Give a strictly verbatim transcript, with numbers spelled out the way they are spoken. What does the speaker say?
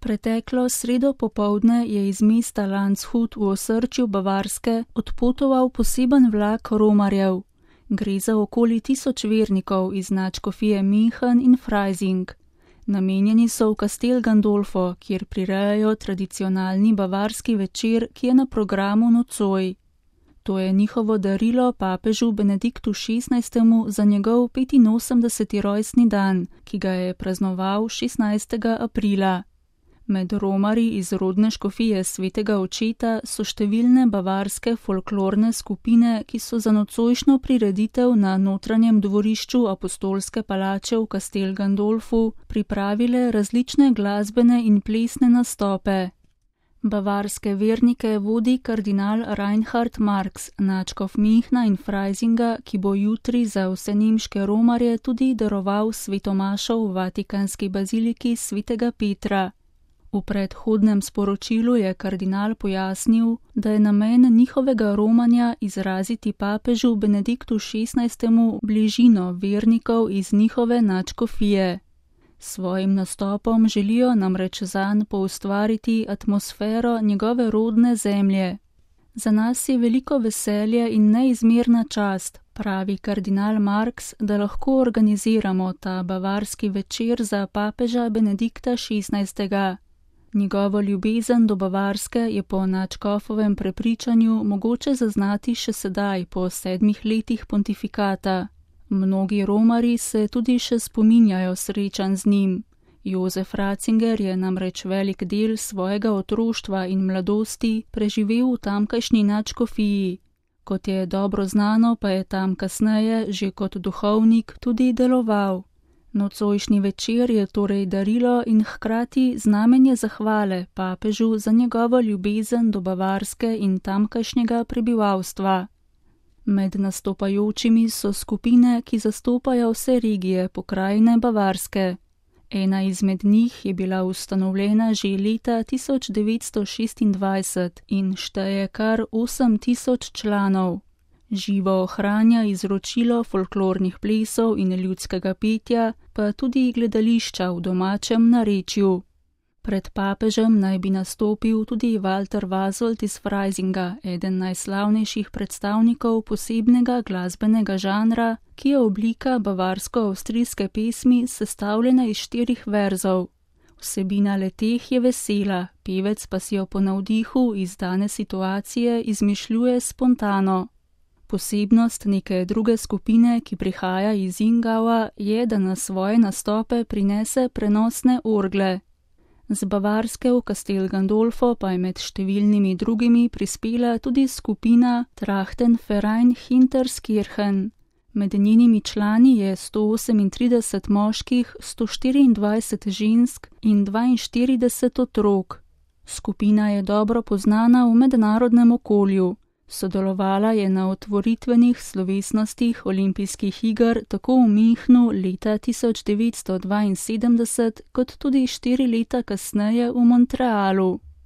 Preteklo sredo popoldne je iz mesta Landshut v osrčju Bavarske odpotoval poseben vlak romarjev. Gre za okoli tisoč vernikov iz nadškofije München in Freising. Namenjeni so v Castel Gandolfo, kjer prirejajo tradicionalni bavarski večer, ki je na programu nocoj. To je njihovo darilo papežu Benediktu šestnajstemu za njegov petinosemdeseti rojstni dan, ki ga je praznoval šestnajstega aprila. Med romarji iz rodne škofije svetega očeta so številne bavarske folklorne skupine, ki so za nocojšnjo prireditev na notranjem dvorišču apostolske palače v Castel Gandolfu pripravile različne glasbene in plesne nastope. Bavarske vernike vodi kardinal Reinhard Marx, nadškof Münchna in Freisinga, ki bo jutri za vse nemške romarje tudi daroval svetomašo v vatikanski baziliki svetega Petra. V predhodnem sporočilu je kardinal pojasnil, da je namen njihovega romanja izraziti papežu Benediktu šestnajstemu bližino vernikov iz njihove nadškofije. S svojim nastopom želijo namreč zanj poustvariti atmosfero njegove rodne zemlje. Za nas je veliko veselje in neizmerna čast, pravi kardinal Marx, da lahko organiziramo ta bavarski večer za papeža Benedikta šestnajstega. Njegovo ljubezen do Bavarske je po nadškofovem prepričanju mogoče zaznati še sedaj, po sedmih letih pontifikata. Mnogi romarji se tudi še spominjajo srečanj z njim. Jozef Ratzinger je namreč velik del svojega otroštva in mladosti preživel v tamkajšnji nadškofiji. Kot je dobro znano, pa je tam kasneje že kot duhovnik tudi deloval. Nocojšnji večer je torej darilo in hkrati znamenje zahvale papežu za njegovo ljubezen do Bavarske in tamkajšnjega prebivalstva. Med nastopajočimi so skupine, ki zastopajo vse regije pokrajine Bavarske. Ena izmed njih je bila ustanovljena že leta tisoč devetsto šestindvajset in šteje kar osem tisoč članov. Živo ohranja izročilo folklornih plesov in ljudskega petja, pa tudi gledališča v domačem narečju. Pred papežem naj bi nastopil tudi Walter Vasolt iz Freisinga, eden najslavnejših predstavnikov posebnega glasbenega žanra, ki je oblika bavarsko-avstrijske pesmi sestavljena iz štirih verzov. Vsebina leteh je vesela, pevec pa si jo po navdihu iz dane situacije izmišljuje spontano. Posebnost neke druge skupine, ki prihaja iz Ingaua, je, da na svoje nastope prinese prenosne orgle. Z Bavarske v Castel Gandolfo pa je med številnimi drugimi prispela tudi skupina Trachtenverein Hinterskirchen. Med njenimi člani je sto osemintrideset moških, sto štiriindvajset žensk in dvainštirideset otrok. Skupina je dobro poznana v mednarodnem okolju. Sodelovala je na otvoritvenih slovesnostih olimpijskih iger tako v Münchnu leta tisoč devetsto dvainsedemdeset kot tudi štiri leta kasneje v Montrealu.